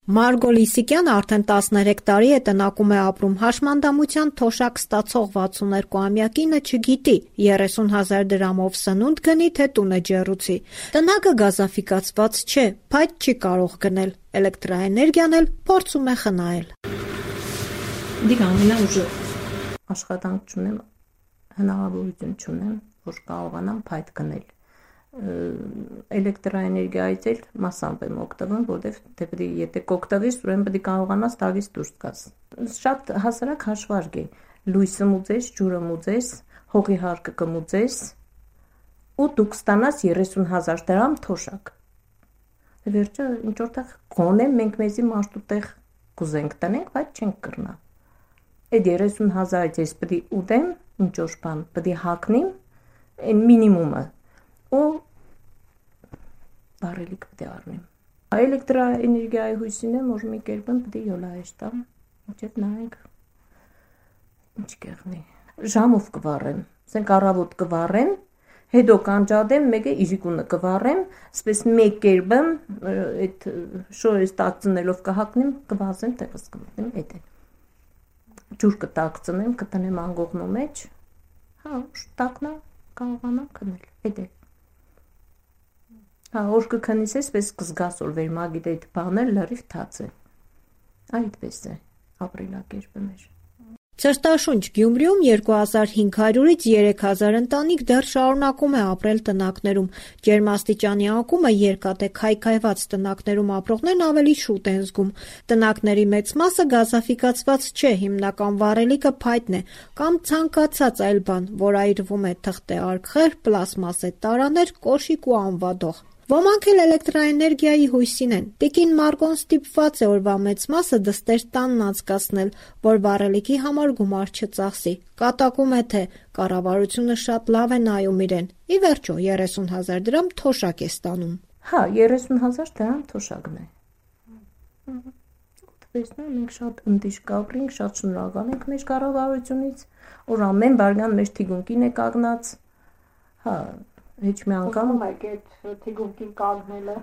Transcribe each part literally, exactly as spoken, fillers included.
Մարգո Լիսիկյանը արդեն տասներեք տարի է տնակում է ապրում, հաշմանդամության թոշակ ստացող վաթսուններկուամյակինը չգիտի երեսուն հազար դրամով սնունդ գնի, թե տունը ջեռուցի։ Տնակը գազաֆիկացված չէ, փայտ չի կարող գնել, էլեկտրաէներգիան էլ փորձում է խնայել։ Դիք ամենաուժը աշխատանք չունեմ, հնարավորություն չունեմ, որ կարողանամ փայտ գնել։ Էլեկտրաէներգիայից էլ մասամբ եմ օգտվում, որտեղ դե պետք է եթե կօգտվես, ուրեմն պետք է կարողանաս տարվից դուրս գաս։ Շատ հասարակ հաշվարկ է։ Լույսը մուծես, ջուրը մուծես, հողի հարկը կմուծես, ու դուք ստանաս երեսուն հազար դրամ թոշակ։ Դե վերջը ինչ որտեղ գոնե մենք մեզի մաշտուտեղ կուզենք տնենք, բայց չենք կրնա։ Այդ երեսուն հազարից ես պետք է ուտեմ, ինչ որ բան, պետք է հագնեմ, այն մինիմումը։ Ու բարելիք պետք է առնեմ։ Էլեկտրաէներգիայի հույսին եմ, որ մի կերպ պետք է յոլայեշ տամ, մինչև նայենք ինչ կեղնի։ Ժամով կվառեմ, ասենք առավոտ կվառեմ, հետո կանջադեմ, մեկը իրիկունը կվառեմ, ասես մեկ կերպ այդ շորից տակցնելով կհակնեմ, կվազեմ, տեղս կմտնեմ, այդ է։ Ջուր կտակցնեմ, կտնեմ անգողնու մեջ, հա, տակնա կարողանամ քնել, այդ է։ Հա, որ կքնիս ես, պես կզգաս, որ վերմագիտ այդ բաներ լրիվ թաց է։ Այդպես է, ապրելակերպը մեր։ Ցրտաշունչ Գյումրիում երկու հազար հինգ հարյուրից երեք հազար ընտանիք դեռ շարունակում է ապրել տնակներում։ Ջերմաստիճանի անկումը երկաթ է, քայքայված տնակներում ապրողներն ավելի շուտ են զգում։ Տնակների մեծ մասը գազաֆիկացված չէ, հիմնական վառելիքը փայտն է կամ ցանկացած այլ բան, որ այրվում է թղթե արգղեր, պլաստմասե տարաներ, կոշիկ ու անվադող։ Ոմանք էլ էլեկտրաէներգիայի հույսին են։ Տիկին Մարգոն ստիպված է օրվա մեծ մասը դստեր տանն անցկացնել, որ վառելիքի համար գումար չծախսի։ Կատակում է, թե կառավարությունը շատ լավ է նայում իրեն։ Ի վերջո երեսուն հազար դրամ թոշակ է ստանում։ Հա, երեսուն հազար դրամ թոշակն է։ Տեսնում մենք շատ ընդիշ կապրինք, շատ շնորհակալ ենք մեր կառավարությունից, որ ամեն բարգան մեր թիգունքին է կանգնած։ Հա, Հեչ մի անգամ եք այդ թիգունքին կանգնելը։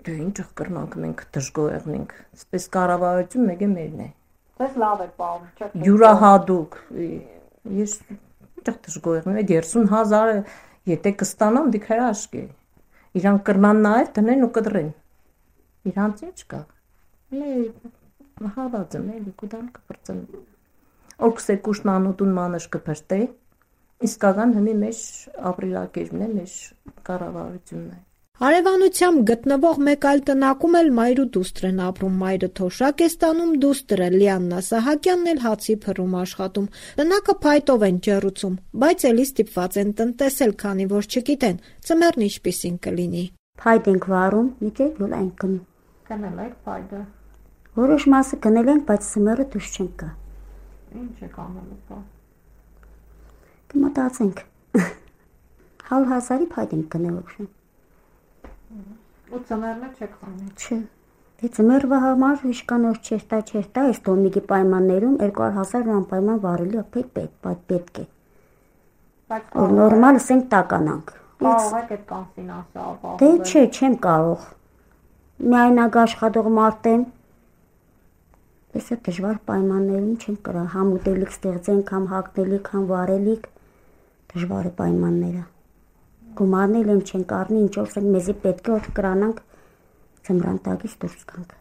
Դե ինչ կրնանք մենք դժգոհեղնենք, այսպես կառավարություն մեկը մերն է։ Ձեզ լավ է պահում, չէ՞։ Յուրահատուկ։ Ես ինչ դժգոհեղնեմ, այդ երեսուն հազարը եթե կստանամ, դիք հրաշք է։ Իրանք կրնան նայել, տնեն ու կդրեն։ Իրանց ինչ կա։ Լե հավաձ եմ, էլի կուտան կփրծեն։ Օքսե կուշնանուտուն մանış կփրտե։ Իսկական հնի մեջ ապրելակերպն է, մեր կառավարությունն է։ Հարևանությամբ գտնվող մեկ այլ տնակում էլ մայր ու դուստր են ապրում։ Մայրը թոշակ է ստանում, դուստրը Լիաննա Սահակյանն էլ հացի փռում աշխատում։ Տնակը փայտով են ջեռուցում, բայց էլի ստիպված են տնտեսել, քանի որ չգիտեն ծմերն ինչպիսին կլինի։ Փայտ ենք վառում, միտե յոլ այն կնում։ Գնել եք փայտը։ Որոշ մասը գնել ենք, բայց ծմերը դուրս չենք գա։ Ինչ եք անելու բա։ Կմտածենք։ Հալ հազարի փայտ ենք գնել ուշ։ Ու ծմերն չեք խմի։ Չէ։ Դե ծմերվա համար հիշկանոր չերտա չերտա, այս տոմիկի պայմաններում երկու հազար անպայման վառելի է պետք, պետք է։ Բայց որ նորմալ ասենք տականանք։ կարող եք այդ կան ֆինանսը ապահովել։ Դե չէ, չեմ կարող։ Միայնակ աշխատող մարդ եմ։ Այսա դժվար պայմաններում չեմ կարող համ ուտելիք ստեղծենք, համ հագնելիք, համ վառելիք։ Դժվար է պայմանները։ Գումարն էլ չենք առնի, ինչ որ մեզի պետք է որ կրանանք ծմրանտակից դուրս գանք։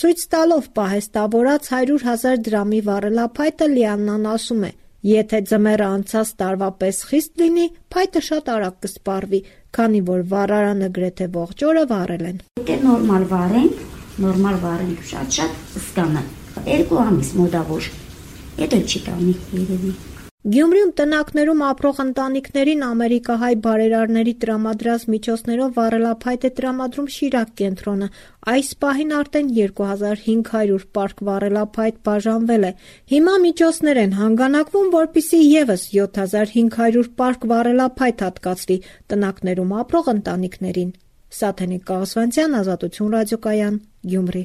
Ցույց տալով պահեստավորած հարյուր հազար դրամի վառելափայտը Լիաննան ասում է. եթե ձմեռը անցած տարվա պես խիստ լինի, փայտը շատ արագ կսպառվի, քանի որ վառարանը գրեթե ողջ օրը վառել են։ Եթե նորմալ վառենք, նորմալ վառենք շատ-շատ զգանը։ Երկու ամիս մոտավոր։ Եթե չի տանի երևի։ Գյումրիում տնակներում ապրող ընտանիքներին ամերիկահայ բարերարների տրամադրած միջոցներով վառելափայտ է տրամադրում Շիրակ կենտրոնը։ Այս պահին արդեն երկու հազար հինգ հարյուր պարկ վառելափայտ բաժանվել է։ Հիմա միջոցներ են հանգանակվում, որպեսզի ևս յոթ հազար հինգ հարյուր պարկ վառելափայտ հատկացվի տնակներում ապրող ընտանիքներին։ Սաթենիկ Կաղասվանցյան, Ազատություն ռադիոկայան, Գյումրի։